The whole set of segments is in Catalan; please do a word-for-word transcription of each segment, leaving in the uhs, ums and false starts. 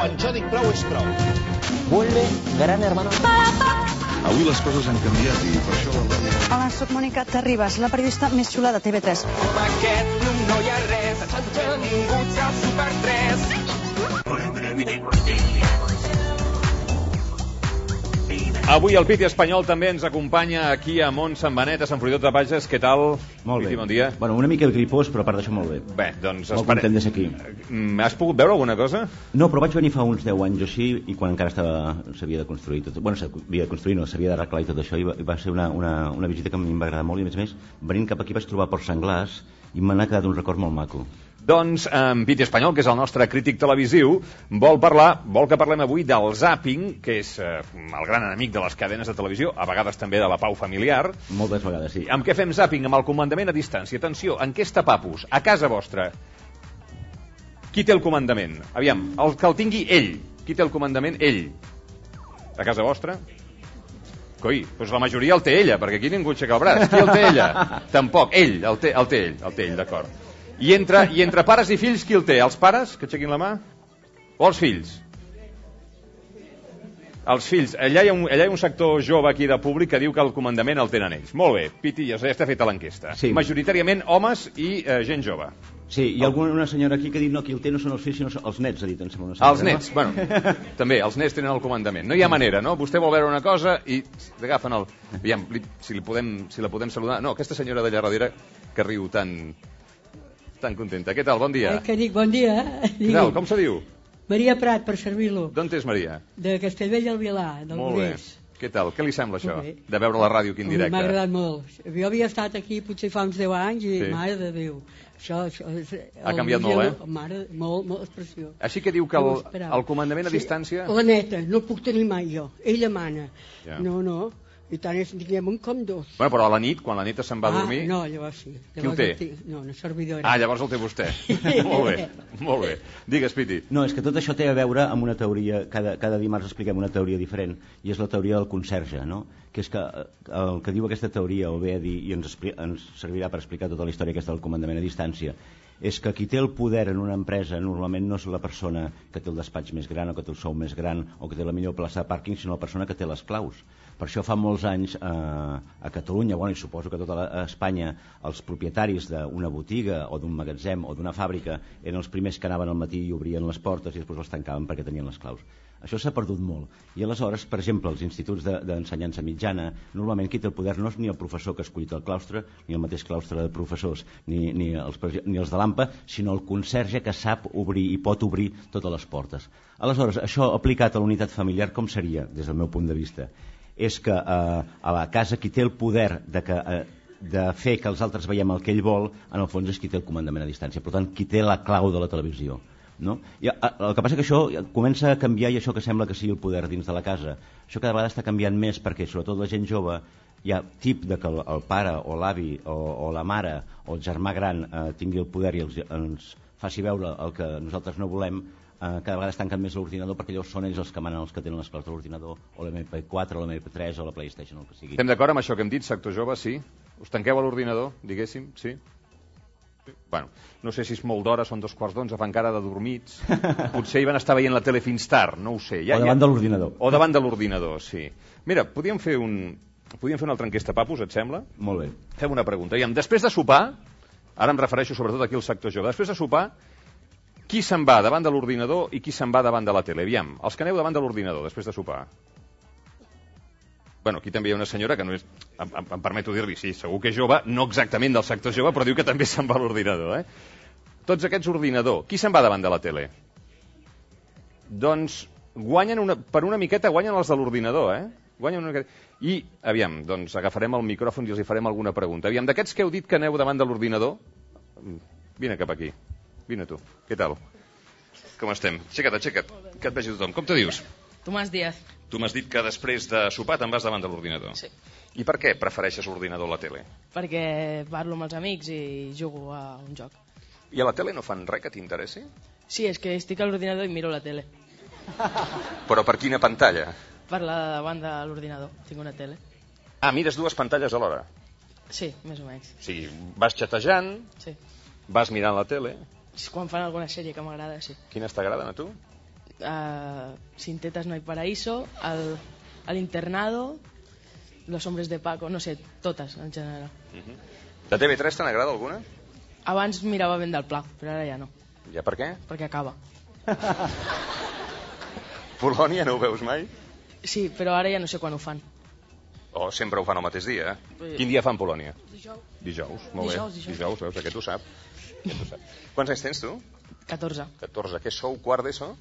Quan jo dic prou, és prou. Vuelve Gran Hermano. Avui les coses han canviat i per això... Hola, soc Mònica Terribas, la periodista més xula de T V tres. Com aquest club no hi ha res, s'han tingut al Super tres. Avui el Piti espanyol també ens acompanya aquí a Mont Sant Benet, a Sant Fruitós de Bages. Què tal? Molt Piti, bé. bon dia. Bueno, una mica gripós, però a part d'això molt bé. Bé, doncs... Molt espere... content de ser aquí. Has pogut veure alguna cosa? No, però vaig venir fa uns deu anys o així, i quan encara estava s'havia de construir tot. Bueno, s'havia de construir, no, s'havia d'arreglar i tot això, i va, i va ser una, una, una visita que a mi em va agradar molt, i a més a més, venint cap aquí vaig trobar porcs senglars, i me n'ha quedat un record molt maco. Doncs en Piti Espanyol, que és el nostre crític televisiu, vol parlar, vol que parlem avui del zàping, que és eh, el gran enemic de les cadenes de televisió, a vegades també de la pau familiar. Moltes vegades, sí. Amb què fem zàping? Amb el comandament a distància. Atenció, enquesta Papus, a casa vostra. Qui té el comandament? Aviam, el que el tingui ell. Qui té el comandament? Ell. A casa vostra? Coi, doncs la majoria el té ella, perquè aquí ningú aixeca el braç. Qui el té ella? Tampoc. Ell, el té, el té ell, el té ell, d'acord. I entre, I entre pares i fills, qui el té? Els pares, que aixequin la mà? O els fills? Els fills. Allà hi, ha un, allà hi ha un sector jove aquí de públic que diu que el comandament el tenen ells. Molt bé, Piti, ja està feta l'enquesta. Sí. Majoritàriament homes i eh, gent jove. Sí, hi ha alguna una senyora aquí que ha dit no, qui el té no són els fills, sinó els nets, ha dit, em sembla una senyora. Els nets, no? Bueno, també, els nets tenen el comandament. No hi ha manera, no? Vostè vol veure una cosa i agafen el... Aviam, si, li podem, si la podem saludar... No, aquesta senyora d'allà darrere que riu tan... tan contenta. Què tal? Bon dia. Eh, que dic, bon dia. Què tal? Com se diu? Maria Prat, per servir-lo. D'on és Maria? De Castellbell al Vilar, del Molt bé. Grés. Què tal? Què li sembla això, de veure la ràdio aquí en directe? M'ha agradat molt. Jo havia estat aquí potser fa uns deu anys i, Sí. mare de Déu, això... això és, Ha canviat molt, eh? Mare, molt, molt expressió. Així que diu que No el, ho esperava. el comandament a Sí, distància... La neta, no el puc tenir mai jo. Ella mana. Ja. No, no. I tant és, diguem, un com dos. Bueno, però a la nit, quan la neta se'n va a dormir... Ah, no, llavors sí. Qui Llavors ho té? el tinc- No, una servidora. Ah, llavors el té vostè. Molt bé, molt bé. Digues, Piti. No, és que tot això té a veure amb una teoria, cada, cada dimarts expliquem una teoria diferent, i és la teoria del conserge, no? Que és que eh, el que diu aquesta teoria, o bé a dir, i ens, expli ens servirà per explicar tota la història aquesta del comandament a distància, és que qui té el poder en una empresa normalment no és la persona que té el despatx més gran o que té el sou més gran o que té la millor plaça de pàrquing, sinó la persona que té les claus. Per això fa molts anys eh, a Catalunya, bueno, i suposo que a tota la, a Espanya, els propietaris d'una botiga o d'un magatzem o d'una fàbrica eren els primers que anaven al matí i obrien les portes i després les tancaven perquè tenien les claus. Això s'ha perdut molt. I aleshores, per exemple, els instituts d'ensenyança de, mitjana, normalment qui té el poder no és ni el professor que ha escollit el claustre, ni el mateix claustre de professors, ni, ni, els, ni els de l'A M P A, sinó el conserge que sap obrir i pot obrir totes les portes. Aleshores, això aplicat a la unitat familiar, com seria, des del meu punt de vista? És que eh, a la casa qui té el poder de, que, eh, de fer que els altres veiem el que ell vol, en el fons és qui té el comandament a distància. Per tant, qui té la clau de la televisió. No? I, el que passa que això comença a canviar, i això que sembla que sigui el poder dins de la casa, això cada vegada està canviant més, perquè sobretot la gent jove hi ha tip de que el, el pare o l'avi o, o la mare o el germà gran eh, tingui el poder i els, ens faci veure el que nosaltres no volem. eh, cada vegada es tanquen més l'ordinador perquè llavors són ells els que manen, els que tenen les claus de l'ordinador, o l'M P quatre o l'M P tres o la PlayStation, el que sigui. Estem d'acord amb això que hem dit, sector jove, sí? Us tanqueu a l'ordinador, diguéssim, sí? Bueno, no sé si és molt d'hora, són dos quarts d'onze, fa encara de dormits. Potser hi van estar veient la tele fins tard, no ho sé. Ja, o davant ja... de l'ordinador. O davant de l'ordinador, sí. Mira, podríem fer, un... podríem fer una altra enquesta, Papus, et sembla? Molt bé. Fem una pregunta. Iam, després de sopar, ara em refereixo sobretot aquí al sector jove, després de sopar, qui se'n va davant de l'ordinador i qui se'n va davant de la tele? Aviam, els que aneu davant de l'ordinador després de sopar. Bueno, aquí també hi ha una senyora que no és... Em, em, em permeto dir-li, sí, segur que és jove, no exactament del sector jove, però diu que també se'n va a l'ordinador, eh? Tots aquests ordinador. Qui se'n va davant de la tele? Doncs guanyen una, per una miqueta guanyen els de l'ordinador, eh? Guanyen una miqueta. I, aviam, doncs agafarem el micròfon i els hi farem alguna pregunta. Aviam, d'aquests que heu dit que aneu davant de l'ordinador, vine cap aquí. Vine tu. Què tal? Com estem? Aixeca't, aixeca't, que et vegi tothom. Com te dius? Tomàs Díaz. Tu m'has dit que després de sopar te'n vas davant de l'ordinador. Sí. I per què prefereixes l'ordinador a la tele? Perquè parlo amb els amics i jugo a un joc. I a la tele no fan res que t'interessi? Sí, és que estic a l'ordinador i miro la tele. Però per quina pantalla? Per la davant de l'ordinador. Tinc una tele. Ah, mires dues pantalles alhora? Sí, més o menys. O sigui, vas xatejant, Sí. vas mirant la tele... Quan fan alguna sèrie que m'agrada, sí. Quines t'agraden a tu? Uh, Sin tetas no hay paraíso, el, el internado, Los hombres de Paco, no sé, totes en general. Uh-huh. De T V tres te n'agrada alguna? Abans mirava Ben del Pla, però ara ja no. Ja per què? Perquè acaba. Polònia no ho veus mai? Sí, però ara ja no sé quan ho fan. O sempre ho fan el mateix dia, eh? Sí. Quin dia fan Polònia? Dijous. Dijous, molt Dijous, bé. dijous. Dijous, veus, aquest ho sap. Aquest ho sap. Quants anys tens tu? catorze. catorze. Què sou, quart d'ESO?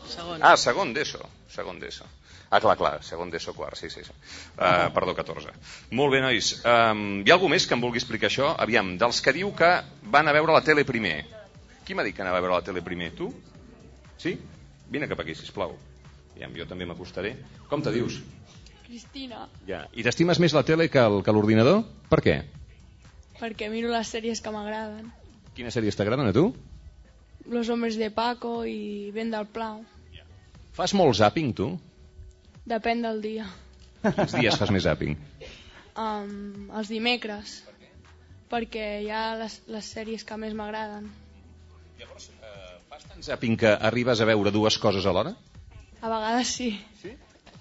Segon. Ah, segon d'ESO. Segon d'ESO. Ah, clar, clar, segon d'ESO, quart, sí, sí. sí. Uh, perdó, catorze. Molt bé, nois. Um, hi ha algú més que em vulgui explicar això? Aviam, dels que diu que van a veure la tele primer. Qui m'ha dit que anava a veure la tele primer? Tu? Sí? Vine cap aquí, sisplau. Aviam, jo també m'acostaré. Com te dius? Cristina, Ja. I t'estimes més la tele que el- que l'ordinador? Per què? perquè miro les sèries que m'agraden. Quines sèries t'agraden a tu? Los hombres de Paco i Ben del Pla. Fas molt zàping, tu? Depèn del dia. Quins dies fas més zàping? Um, els dimecres. Perquè hi ha les, les sèries que més m'agraden. Llavors, eh, fas tant zàping que arribes a veure dues coses alhora? A vegades sí. Sí?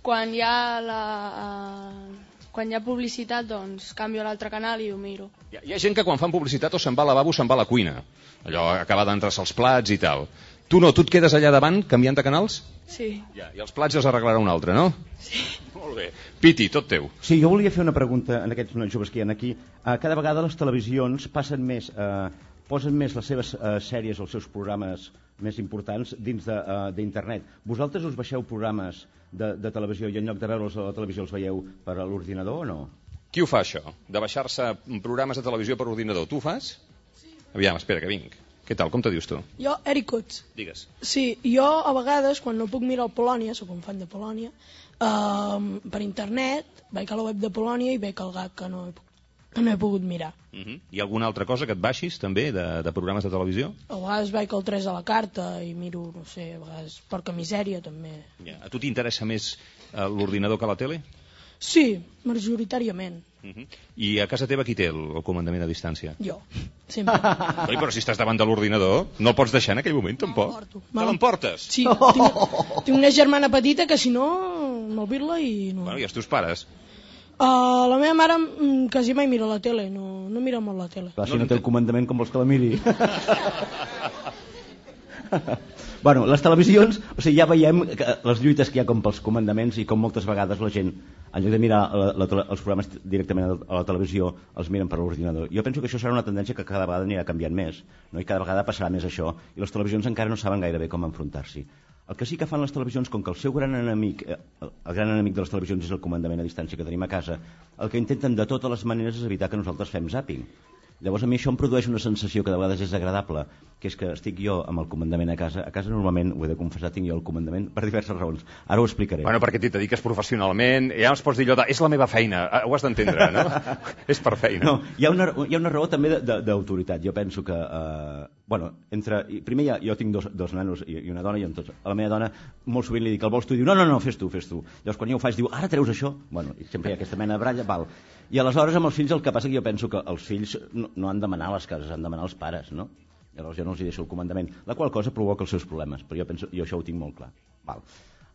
Quan hi ha la... Uh, quan hi ha publicitat, doncs canvio a l'altre canal i ho miro. Hi ha, hi ha gent que quan fan publicitat o se'n va al lavabo o se'n va a la cuina. Allò acaba d'entrar-se els plats i tal. Tu no, tu et quedes allà davant canviant de canals? Sí. Ja, i els plats els arreglarà un altre, no? Sí. Molt bé. Piti, tot teu. Sí, jo volia fer una pregunta en aquests nois joves que hi ha aquí. Uh, cada vegada les televisions passen més, uh, posen més les seves uh, sèries o els seus programes més importants dins d'internet. Uh, Vosaltres us baixeu programes de, de televisió i en lloc de veure'ls a la televisió els veieu per a l'ordinador o no? Qui ho fa, això? De baixar-se programes de televisió per ordinador. Tu ho fas? Sí. Aviam, espera, que vinc. Què tal? Com te dius tu? Jo, Eric Cots. Digues. Sí, jo a vegades, quan no puc mirar el Polònia, soc un fan de Polònia, eh, per internet vaig a la web de Polònia i veig el gag que no he, que no he pogut mirar. Uh -huh. Hi ha alguna altra cosa que et baixis, també, de, de programes de televisió? A vegades vaig al tres a la carta i miro, no sé, a vegades Porca Misèria també. Ja. A tu t'interessa més eh, l'ordinador que la tele? Sí, majoritàriament. Uh -huh. I a casa teva qui té el, el comandament a distància? Jo, sempre. Oi, però si estàs davant de l'ordinador, no el pots deixar en aquell moment, tampoc. M'emporto. Te l'emportes? Sí, tinc, tinc una germana petita que si no, m'albir-la i no... Bueno, i els teus pares? Uh, la meva mare mm, quasi mai mira la tele, no, no mira molt la tele. Clar, si no té el comandament, com vols que la miri? Bueno, les televisions, o sigui, ja veiem que les lluites que hi ha com pels comandaments i com moltes vegades la gent, en lloc de mirar la, la, els programes directament a la televisió, els miren per l'ordinador. Jo penso que això serà una tendència que cada vegada anirà canviant més, no? I cada vegada passarà més això, i les televisions encara no saben gaire bé com enfrontar-s'hi. El que sí que fan les televisions, com que el seu gran enemic, el gran enemic de les televisions és el comandament a distància que tenim a casa, el que intenten de totes les maneres és evitar que nosaltres fem zàping. Llavors a mi això em produeix una sensació que de vegades és agradable, que és que estic jo amb el comandament a casa. A casa normalment, ho he de confessar, tinc jo el comandament per diverses raons. Ara ho explicaré. Bueno, perquè t'hi dediques professionalment, ja ens pots dir allò de, és la meva feina, ho has d'entendre, no? És per feina. No, hi ha una, hi ha una raó també d'autoritat. Jo penso que, eh, bueno, entre, primer ja, jo tinc dos, dos nanos i, i una dona, i en tots, a la meva dona molt sovint li dic, el vols tu? I diu, no, no, no, fes tu, fes tu. Llavors quan jo ho faig diu, ara treus això? Bueno, i sempre hi ha aquesta mena de bralla, val. I aleshores amb els fills el que passa que jo penso que els fills no, no han de manar a les cases, han de manar els pares, no? Llavors jo no els hi deixo el comandament, la qual cosa provoca els seus problemes, però jo penso, jo això ho tinc molt clar. Val.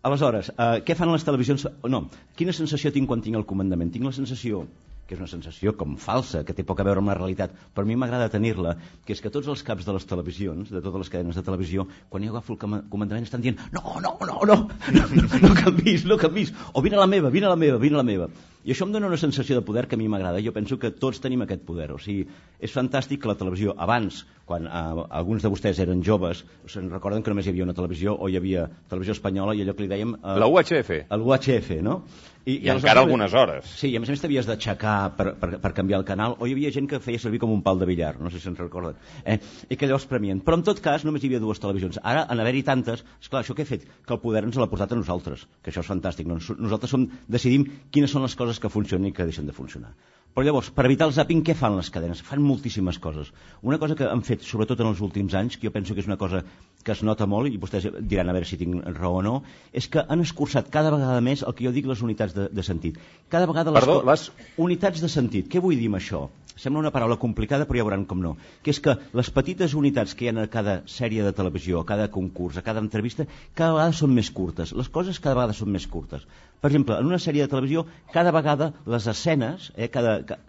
Aleshores, eh, què fan les televisions? No, quina sensació tinc quan tinc el comandament? Tinc la sensació, que és una sensació com falsa, que té poc a veure amb la realitat, però a mi m'agrada tenir-la, que és que tots els caps de les televisions, de totes les cadenes de televisió, quan jo agafo el comandament estan dient no, no, no, no, no, no, no canvis, no canvis, o vine a la meva, vine a la meva, vine a la meva. I això em dona una sensació de poder que a mi m'agrada. Jo penso que tots tenim aquest poder. O sigui, és fantàstic que la televisió, abans, quan eh, alguns de vostès eren joves, se'n recorden que només hi havia una televisió, o hi havia televisió espanyola, i allò que li dèiem... Eh, la U H F. El U H F, no? I, I encara algunes hores. Sí, i a més a més t'havies d'aixecar per, per, per canviar el canal, o hi havia gent que feia servir com un pal de billar, no sé si se'n recorden, eh? I que llavors premien. Però en tot cas només hi havia dues televisions. Ara, en haver-hi tantes, esclar, això què ha fet? Que el poder ens l'ha portat a nosaltres, que això és fantàstic. Nosaltres som, decidim quines són les coses que funcionen i que deixen de funcionar. Però llavors, per evitar el zàping, què fan les cadenes? Fan moltíssimes coses. Una cosa que han fet, sobretot en els últims anys, que jo penso que és una cosa que es nota molt, i vostès diran a veure si tinc raó o no, és que han escurçat cada vegada més el que jo dic les unitats de, de sentit. Cada vegada les, Perdó, les... unitats de sentit. Què vull dir amb això? Sembla una paraula complicada, però ja veuran com no. Que és que les petites unitats que hi ha a cada sèrie de televisió, a cada concurs, a cada entrevista, cada vegada són més curtes. Les coses cada vegada són més curtes. Per exemple, en una sèrie de televisió, cada vegada les escenes, eh, cada, ca,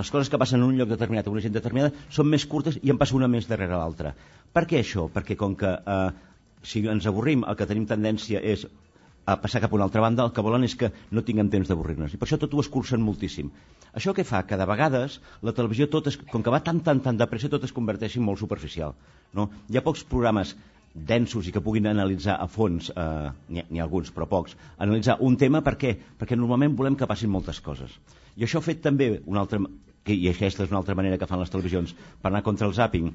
les coses que passen en un lloc determinat, a una gent determinada, són més curtes i en passa una més darrere l'altra. Per què això? Perquè com que eh, si ens avorrim, el que tenim tendència és a passar cap a una altra banda, el que volen és que no tinguem temps d'avorrir-nos. I per això tot ho escurcen moltíssim. Això què fa? Que de vegades la televisió, tot es, com que va tan, tan, tan de pressa, tot es converteix en molt superficial. No? Hi ha pocs programes densos i que puguin analitzar a fons, eh, n'hi ha alguns però pocs, analitzar un tema. Per què? Perquè normalment volem que passin moltes coses. I això ha fet també una altra, que, i aquesta és una altra manera que fan les televisions per anar contra el zàping,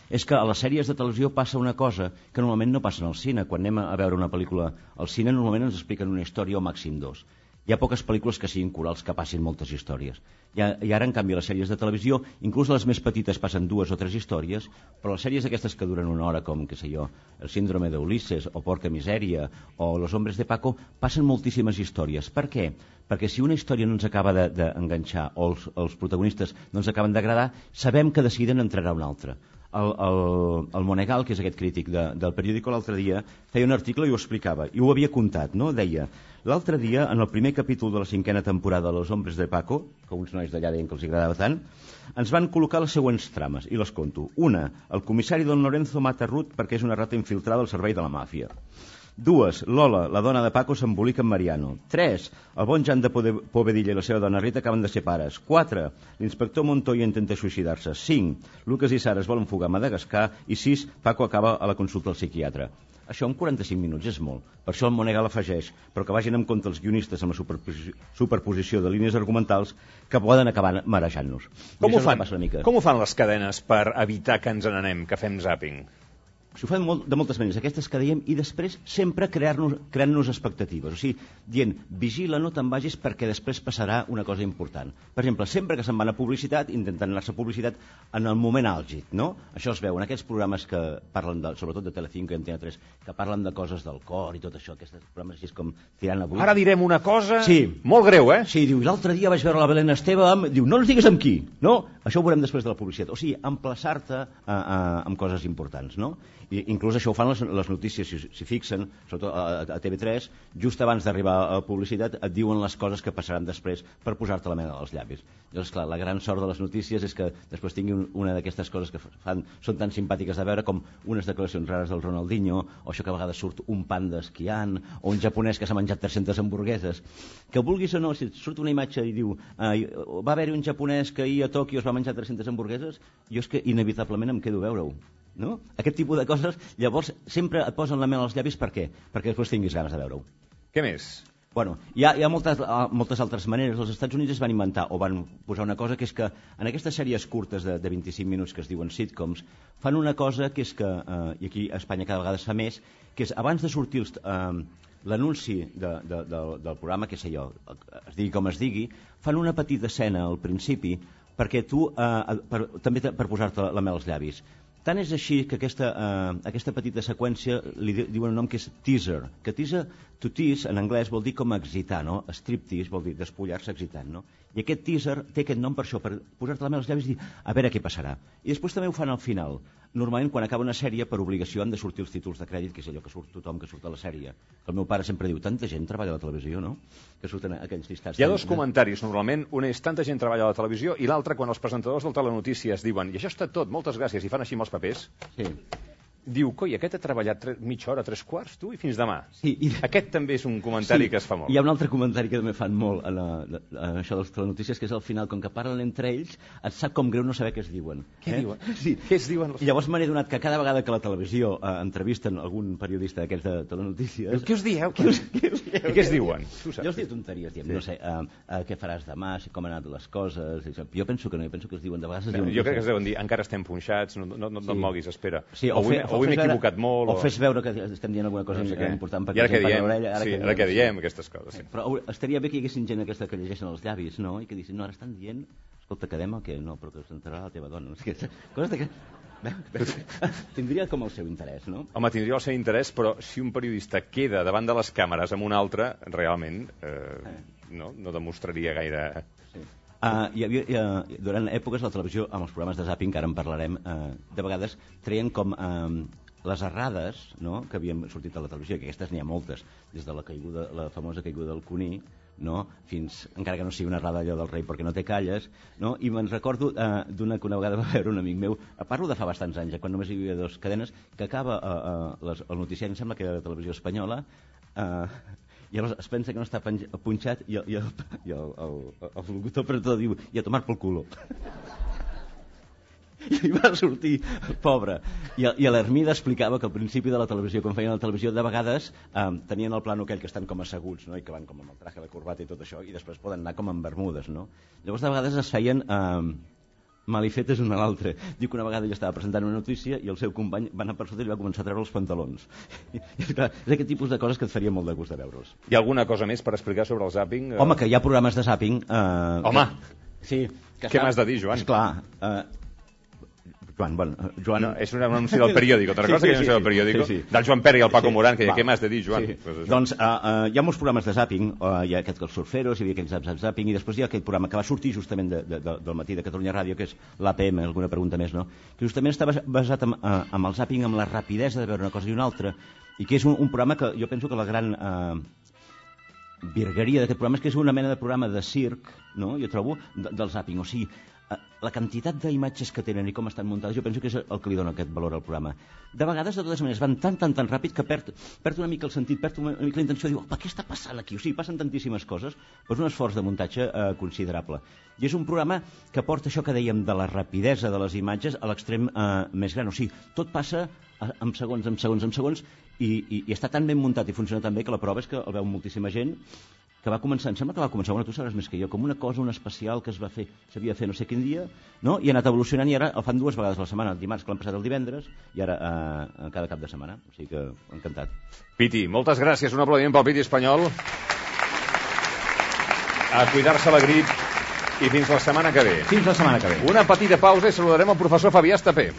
és que a les sèries de televisió passa una cosa que normalment no passa en el cine. Quan anem a veure una pel·lícula al cine normalment ens expliquen una història o màxim dos. Hi ha poques pel·lícules que siguin corals que passin moltes històries. I, I ara, en canvi, a les sèries de televisió, inclús les més petites passen dues o tres històries, però les sèries aquestes que duren una hora, com, què sé jo, El síndrome d'Ulisses, o Porca Misèria, o Los hombres de Paco, passen moltíssimes històries. Per què? Perquè si una història no ens acaba d'enganxar, de, o els, els protagonistes no ens acaben d'agradar, sabem que de seguida n'entrarà una altra. El, el, el Monegal, que és aquest crític de, del periòdico, l'altre dia feia un article i ho explicava, i ho havia contat, no? Deia, l'altre dia, en el primer capítol de la cinquena temporada de Los hombres de Paco, que uns nois d'allà deien que els agradava tant, ens van col·locar les següents trames, i les conto. Una, el comissari Don Lorenzo mata Ruth perquè és una rata infiltrada al servei de la màfia. Dues, Lola, la dona de Paco, s'embolica amb Mariano. Tres, el bon Jan de Povedilla i la seva dona Rita acaben de ser pares. Quatre, l'inspector Montoya intenta suïcidar-se. Cinc, Lucas i Sara es volen fugar a Madagascar. I sis, Paco acaba a la consulta al psiquiatre. Això en quaranta-cinc minuts és molt. Per això el Monegal afegeix, però que vagin en compte els guionistes amb la superposició, superposició de línies argumentals que poden acabar marejant-nos. Com ho fan? Com ho fan les cadenes per evitar que ens n'anem, que fem zàping? S'ho fan molt, de moltes maneres, aquestes que dèiem, i després sempre crear-nos, creant-nos expectatives. O sigui, dient, vigila, no te'n vagis perquè després passarà una cosa important. Per exemple, sempre que se'n van a publicitat, intenten anar-se a publicitat en el moment àlgid, no? Això es veu en aquests programes que parlen, de, sobretot de Telecinco i Antena tres, que parlen de coses del cor i tot això, aquests programes així com tirant avui. Ara direm una cosa sí. molt greu, eh? Sí, diu, l'altre dia vaig veure la Belén Esteve amb... Diu, no ens digues amb qui, no? Això ho veurem després de la publicitat. O sigui, emplaçar-te a, a, amb coses importants, no? I inclús això ho fan les, les notícies, si, si fixen, sobretot a, a T V tres, just abans d'arribar a la publicitat et diuen les coses que passaran després per posar-te la mena als llavis. Llavors, clar, la gran sort de les notícies és que després tingui un, una d'aquestes coses que fan, són tan simpàtiques de veure com unes declaracions rares del Ronaldinho, o això que a vegades surt un panda esquiant, o un japonès que s'ha menjat tres-centes hamburgueses. Que vulguis o no, si surt una imatge i diu eh, va haver-hi un japonès que ahir a Tòquio es va menjar tres-centes hamburgueses, jo és que inevitablement em quedo a veure-ho. No? Aquest tipus de coses, llavors sempre et posen la mel als llavis. Per què? Perquè després tinguis ganes de veure-ho. Què més? Bueno, hi ha, hi ha moltes, moltes altres maneres. Els Estats Units es van inventar o van posar una cosa que és que en aquestes sèries curtes de, de vint-i-cinc minuts que es diuen sitcoms fan una cosa que és que, eh, i aquí a Espanya cada vegada es fa més, que és abans de sortir els, eh, l'anunci de, de, de, del programa, que sé jo, es digui com es digui, fan una petita escena al principi perquè tu, eh, per, també per posar-te la mel als llavis. Tant és així que aquesta, eh, aquesta petita seqüència li diuen un nom que és teaser, que teaser, to tease en anglès vol dir com excitar, no? Striptease vol dir despullar-se excitant, no? I aquest teaser té aquest nom per això, per posar-te la mel als llavis i dir, a veure què passarà. I després també ho fan al final. Normalment, quan acaba una sèrie, per obligació han de sortir els títols de crèdit, que és allò que surt tothom que surt a la sèrie. El meu pare sempre diu, tanta gent treballa a la televisió, no? Que surten aquells llistats. Hi ha dos comentaris, normalment. Un és, tanta gent treballa a la televisió, i l'altre, quan els presentadors del Telenotícies diuen, i això està tot, moltes gràcies, i fan així amb els papers, sí. Diu, coi, aquest ha treballat tre... mitja hora, tres quarts, tu, i fins demà. Sí, i... Aquest també és un comentari sí, que es fa molt. Hi ha un altre comentari que també fan molt en, la, en això de les telenotícies, que és al final, com que parlen entre ells, et sap com greu no saber què es diuen. Què eh? diuen? Sí. Què es diuen? I llavors me n'he donat que cada vegada que a la televisió eh, entrevisten algun periodista d'aquests de telenotícies... Què us dieu? Què us, què us dieu? I què es diuen? Jo els dic tonteries, diem, sí. No sé, uh, uh, què faràs demà, com han anat les coses... Jo penso que no, jo penso que es diuen de vegades... Bé, jo crec que es deuen dir, encara estem punxats, no, no, no, no sí. et moguis, espera. Sí, o, o, fe, o o avui m'he equivocat molt. O fes veure que estem dient alguna cosa important. I ara què diem? Sí, ara què diem, aquestes coses. Però estaria bé que hi haguessin gent aquesta que llegeixen els llavis, no? I que diguessin, no, ara estan dient, escolta, quedem o què? No, però que s'enterarà la teva dona. Coses que... Tindria com el seu interès, no? Home, tindria el seu interès, però si un periodista queda davant de les càmeres amb un altre, realment eh, no, no demostraria gaire... Sí. Uh, hi havia, uh, durant èpoques la televisió, amb els programes de zàping, que ara en parlarem, uh, de vegades treien com uh, les errades, no?, que havien sortit a la televisió, que aquestes n'hi ha moltes, des de la caiguda, la famosa caiguda del Cuní, no?, fins, encara que no sigui una errada allò del rei perquè no té calles, no?, i me'n recordo uh, d'una que una vegada va veure un amic meu, parlo de fa bastants anys, quan només hi havia dues cadenes, que acaba uh, uh, les, el noticiari, em sembla que era de televisió espanyola, uh, i llavors es pensa que no està punxat i el, i el, i el, el, el locutor presentador diu, i a tomar pel culo. I va sortir, pobre. I, i l'Hermida explicava que al principi de la televisió, quan feien la televisió, de vegades eh, tenien el plano aquell que estan com asseguts, no?, i que van com amb el traje, la corbata i tot això, i després poden anar com amb bermudes, no? Llavors de vegades es feien... Eh, malifetes un a l'altre. Diu que una vegada ell estava presentant una notícia i el seu company va anar per sota i va començar a treure els pantalons. I, és, clar, és aquest tipus de coses que et faria molt de gust de veure'ls. Hi ha alguna cosa més per explicar sobre el zàping? Home, que hi ha programes de zàping... Eh, Home! Que, sí. Que què m'has de dir, Joan? Esclar... Eh, Joan, bueno, Joan... No, és un anunci del periòdic, otra cosa sí, sí, que és un anunci del periòdic, sí, sí. Del Joan Pere i el Paco sí, Morán, que va. Què m'has de dir, Joan? Sí. Pues doncs uh, uh, hi ha molts programes de zàping, uh, hi ha aquest els surferos, hi havia aquell zap, zap, zàping, i després hi ha aquell programa que va sortir justament de, de, de, del matí de Catalunya Ràdio, que és l'A P M, alguna pregunta més, no? Que justament està basat en, uh, en el zàping, amb la rapidesa de veure una cosa i una altra, i que és un, un programa que jo penso que la gran... Uh, virgueria d'aquest programa és que és una mena de programa de circ, no?, jo trobo, de, del zàping, o sigui, la quantitat d'imatges que tenen i com estan muntades, jo penso que és el que li dona aquest valor al programa. De vegades, de totes maneres, van tan, tan, tan ràpid que perd, perd una mica el sentit, perd una mica la intenció, diu, opa, què està passant aquí? O sigui, passen tantíssimes coses, però és un esforç de muntatge eh, considerable. I és un programa que porta això que dèiem de la rapidesa de les imatges a l'extrem eh, més gran, o sigui, tot passa en segons, en segons, en segons, i, i, i està tan ben muntat i funciona tan bé que la prova és que el veu moltíssima gent, que va començar, em sembla que va començar, bueno, tu sabràs més que jo, com una cosa, un especial que es va fer, s'havia de fer no sé quin dia, no? I ha anat evolucionant i ara el fan dues vegades a la setmana, el dimarts, que l'han passat el divendres, i ara eh, cada cap de setmana, o sigui que encantat. Piti, moltes gràcies, un aplaudiment pel Piti espanyol. A cuidar-se la grip i fins la setmana que ve. Fins la setmana que ve. Una petita pausa i saludarem el professor Fabià Estapé.